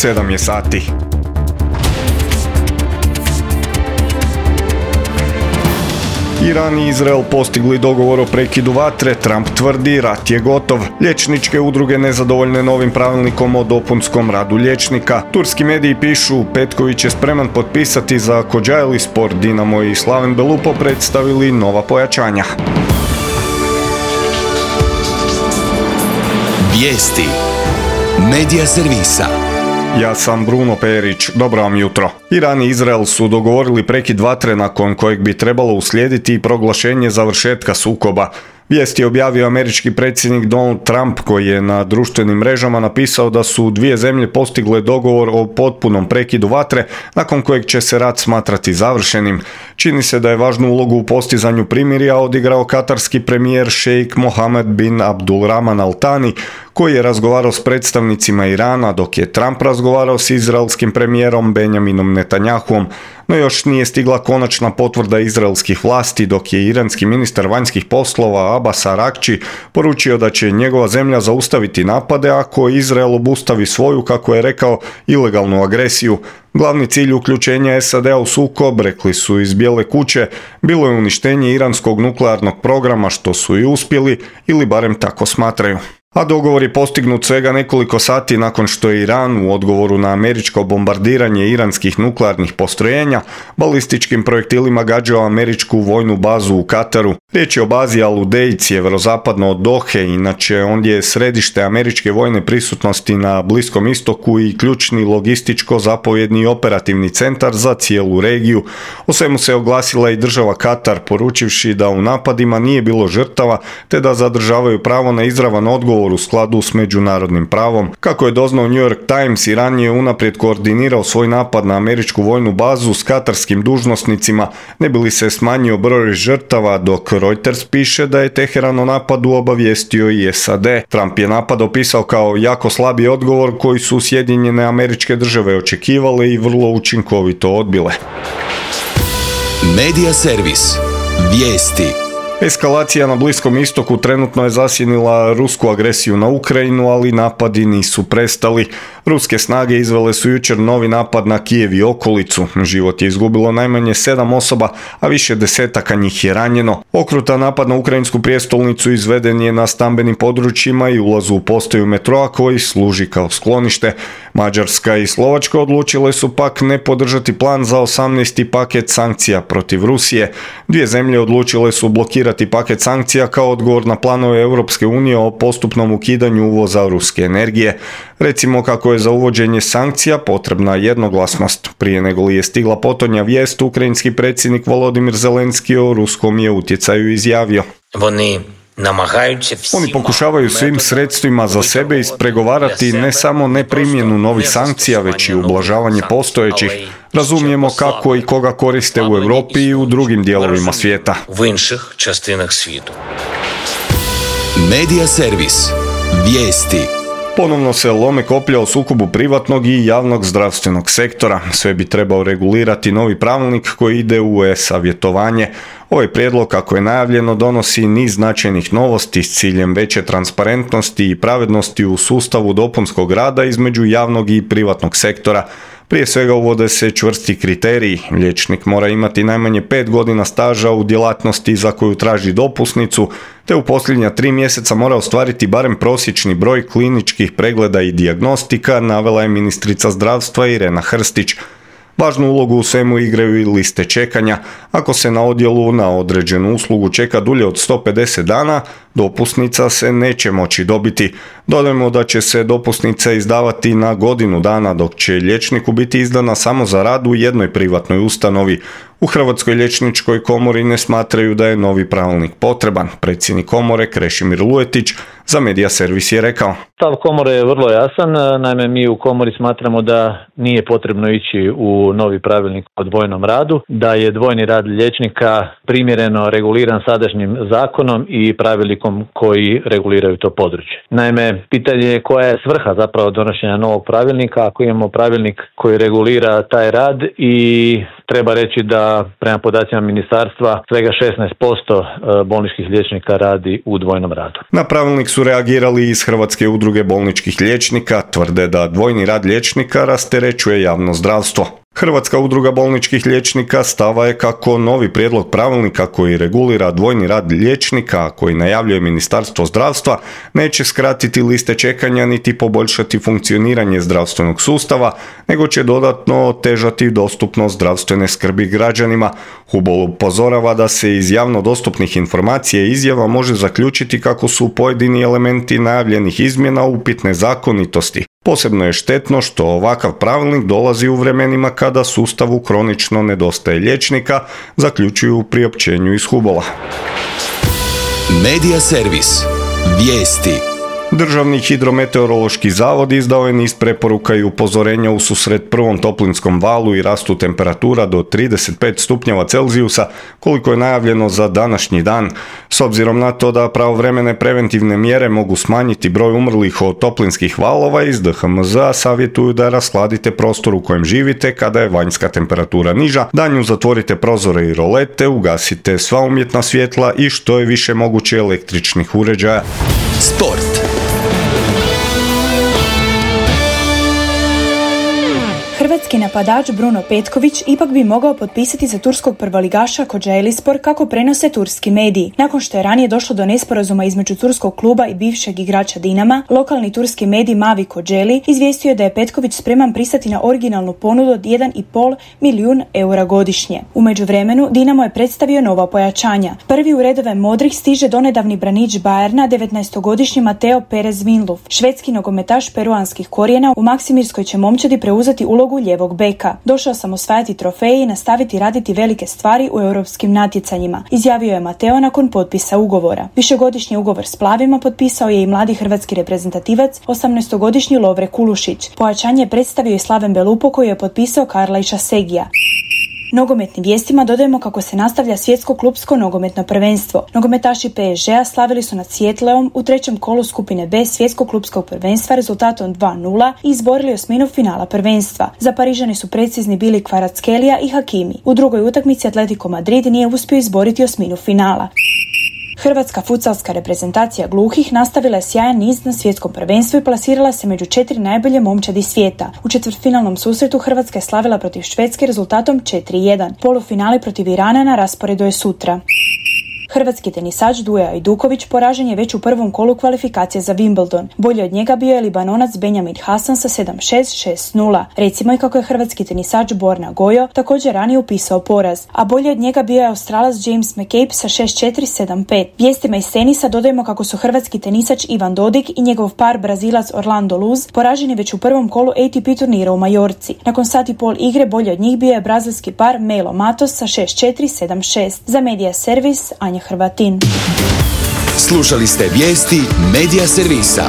7 je sati. Iran i Izrael postigli dogovor o prekidu vatre, Trump tvrdi rat je gotov. Liječničke udruge nezadovoljne novim pravilnikom o dopunskom radu liječnika. Turski mediji pišu Petković je spreman potpisati za Kocaeli Sport, Dinamo i Slaven Belupo predstavili nova pojačanja. Vijesti Medija servisa. Ja sam Bruno Perić, dobro vam jutro. Iran i Izrael su dogovorili prekid vatre nakon kojeg bi trebalo uslijediti i proglašenje završetka sukoba. Vijest je objavio američki predsjednik Donald Trump koji je na društvenim mrežama napisao da su dvije zemlje postigle dogovor o potpunom prekidu vatre nakon kojeg će se rat smatrati završenim. Čini se da je važnu ulogu u postizanju primirja odigrao katarski premijer šejk Mohammed bin Abdulrahman Al Thani koji je razgovarao s predstavnicima Irana dok je Trump razgovarao s izraelskim premijerom Benjaminom Netanjahuom. No još nije stigla konačna potvrda izraelskih vlasti dok je iranski ministar vanjskih poslova Abbas Araghči poručio da će njegova zemlja zaustaviti napade ako Izrael obustavi svoju, kako je rekao, ilegalnu agresiju. Glavni cilj uključenja SAD-a u sukob, rekli su iz Bijele kuće, bilo je uništenje iranskog nuklearnog programa, što su i uspjeli ili barem tako smatraju. A dogovor je postignut svega nekoliko sati nakon što je Iran u odgovoru na američko bombardiranje iranskih nuklearnih postrojenja balističkim projektilima gađao američku vojnu bazu u Kataru. Riječ je o bazi Al-Udeid sjeverozapadno od Dohe, inače ondje je središte američke vojne prisutnosti na Bliskom istoku i ključni logističko-zapovjedni i operativni centar za cijelu regiju. O svemu se oglasila i država Katar, poručivši da u napadima nije bilo žrtava te da zadržavaju pravo na izravan odgovor u skladu s međunarodnim pravom. Kako je doznao New York Times, Iran je unaprijed koordinirao svoj napad na američku vojnu bazu s katarskim dužnosnicima, ne bi li se smanjio broj žrtava, dok Reuters piše da je Teheran o napadu obavijestio i SAD. Trump je napad opisao kao jako slabi odgovor koji su Sjedinjene Američke Države očekivale i vrlo učinkovito odbile. Medija servis. Vijesti. Eskalacija na Bliskom istoku trenutno je zasjenila rusku agresiju na Ukrajinu, ali napadi nisu prestali. Ruske snage izvele su jučer novi napad na Kijev i okolicu. Život je izgubilo najmanje 7 osoba, a više desetaka njih je ranjeno. Okrutan napad na ukrajinsku prijestolnicu izveden je na stambenim područjima i ulazu u postaju metroa koji služi kao sklonište. Mađarska i Slovačka odlučile su pak ne podržati plan za 18. paket sankcija protiv Rusije. Dvije zemlje odlučile su blokirati paket sankcija kao odgovor na planove Europske unije o postupnom ukidanju uvoza ruske energije. Recimo kako je za uvođenje sankcija potrebna jednoglasnost. Prije nego li je stigla potonja vijest, ukrajinski predsjednik Volodimir Zelenski o ruskom je utjecaju izjavio. Oni pokušavaju svim sredstvima za sebe ispregovarati ne samo neprimjenu novih sankcija, već i ublažavanje postojećih. Razumijemo kako i koga koriste u Europi i u drugim dijelovima svijeta. Medija servis. Vijesti. Ponovno se lome koplja o sukobu privatnog i javnog zdravstvenog sektora. Sve bi trebao regulirati novi pravilnik koji ide u e-savjetovanje. Ovaj prijedlog, kako je najavljeno, donosi niz značajnih novosti s ciljem veće transparentnosti i pravednosti u sustavu dopunskog rada između javnog i privatnog sektora. Prije svega uvode se čvrsti kriteriji. Liječnik mora imati najmanje 5 godina staža u djelatnosti za koju traži dopusnicu, te u posljednja 3 mjeseca mora ostvariti barem prosječni broj kliničkih pregleda i dijagnostika, navela je ministrica zdravstva Irena Hrstić. Važnu ulogu u svemu igraju i liste čekanja. Ako se na odjelu na određenu uslugu čeka dulje od 150 dana, dopusnica se neće moći dobiti. Dodajmo da će se dopusnica izdavati na godinu dana, dok će liječniku biti izdana samo za rad u jednoj privatnoj ustanovi. U Hrvatskoj liječničkoj komori ne smatraju da je novi pravilnik potreban. Predsjednik komore Krešimir Lujetić za Medija servis je rekao. Stav komore je vrlo jasan, naime mi u komori smatramo da nije potrebno ići u novi pravilnik o dvojnom radu, da je dvojni rad liječnika primjereno reguliran sadašnjim zakonom i pravilnikom pravilnikom koji reguliraju to područje. Naime, pitanje je koja je svrha zapravo donošenja novog pravilnika ako imamo pravilnik koji regulira taj rad i treba reći da prema podacima ministarstva svega 16% bolničkih liječnika radi u dvojnom radu. Na pravilnik su reagirali iz Hrvatske udruge bolničkih liječnika, tvrde da dvojni rad liječnika rasterećuje javno zdravstvo. Hrvatska udruga bolničkih liječnika stava je kako novi prijedlog pravilnika koji regulira dvojni rad liječnika, koji najavljuje Ministarstvo zdravstva, neće skratiti liste čekanja niti poboljšati funkcioniranje zdravstvenog sustava, nego će dodatno otežati dostupnost zdravstvene skrbi građanima. Hubol upozorava da se iz javno dostupnih informacija i izjava može zaključiti kako su pojedini elementi najavljenih izmjena upitne zakonitosti. Posebno je štetno što ovakav pravilnik dolazi u vremenima kada sustavu kronično nedostaje liječnika, zaključuju u priopćenju iz Hubola. Medija servis. Vijesti. Državni hidrometeorološki zavod izdao je niz preporuka i upozorenja ususret prvom toplinskom valu i rastu temperatura do 35 stupnjeva Celzijusa, koliko je najavljeno za današnji dan. S obzirom na to da pravovremene preventivne mjere mogu smanjiti broj umrlih od toplinskih valova, iz DHMZ-a savjetuju da rashladite prostor u kojem živite kada je vanjska temperatura niža, danju zatvorite prozore i rolete, ugasite sva umjetna svjetla i što je više moguće električnih uređaja. Sport. Hrvatski napadač Bruno Petković ipak bi mogao potpisati za turskog prvoligaša Kocaelispor, kako prenose turski mediji. Nakon što je ranije došlo do nesporazuma između turskog kluba i bivšeg igrača Dinama, lokalni turski medij Mavi Kocaeli izvijestio je da je Petković spreman pristati na originalnu ponudu od 1,5 milijun eura godišnje. U međuvremenu Dinamo je predstavio nova pojačanja. Prvi u redove modrih stiže donedavni branič Bayerna, 19-godišnji Mateo Perez Vinluf. Švedski nogometaš peruanskih korijena u Maksimirskoj će momčadi preuzeti ulogu lijevog beka. Došao sam osvajati trofeje i nastaviti raditi velike stvari u europskim natjecanjima, izjavio je Mateo nakon potpisa ugovora. Višegodišnji ugovor s plavima potpisao je i mladi hrvatski reprezentativac, 18-godišnji Lovre Kulušić. Pojačanje je predstavio i Slaven Belupo, koji je potpisao Karla Išasegija. Nogometnim vijestima dodajemo kako se nastavlja svjetsko klupsko nogometno prvenstvo. Nogometaši PSG-a slavili su nad Sietleom u trećem kolu skupine B svjetskog klupskog prvenstva rezultatom 2:0 i izborili osminu finala prvenstva. Za Parižani su precizni bili Kvaratskhelia i Hakimi. U drugoj utakmici Atletico Madrid nije uspio izboriti osminu finala. Hrvatska futsalska reprezentacija gluhih nastavila je sjajan niz na svjetskom prvenstvu i plasirala se među 4 najbolje momčadi svijeta. U četvrtfinalnom susretu Hrvatska je slavila protiv Švedske rezultatom 4:1. Polufinali protiv Irana na rasporedu je sutra. Hrvatski tenisač Duja Ajduković poražen je već u prvom kolu kvalifikacije za Wimbledon. Bolji od njega bio je Libanonac Benjamin Hasan sa 7-6, 6-0. Recimo i kako je hrvatski tenisač Borna Gojo također ranije upisao poraz, a bolji od njega bio je Australac James McCabe sa 6-4, 7-5. Vijestima iz tenisa dodajemo kako su hrvatski tenisač Ivan Dodig i njegov par Brazilac Orlando Luz poraženi već u prvom kolu ATP turnira u Majorci. Nakon sat i pol igre bolji od njih bio je brazilski par Melo Matos sa 6-4, 7-6. Za Medija servis Anja Hrvatin. Slušali ste vijesti Medija servisa.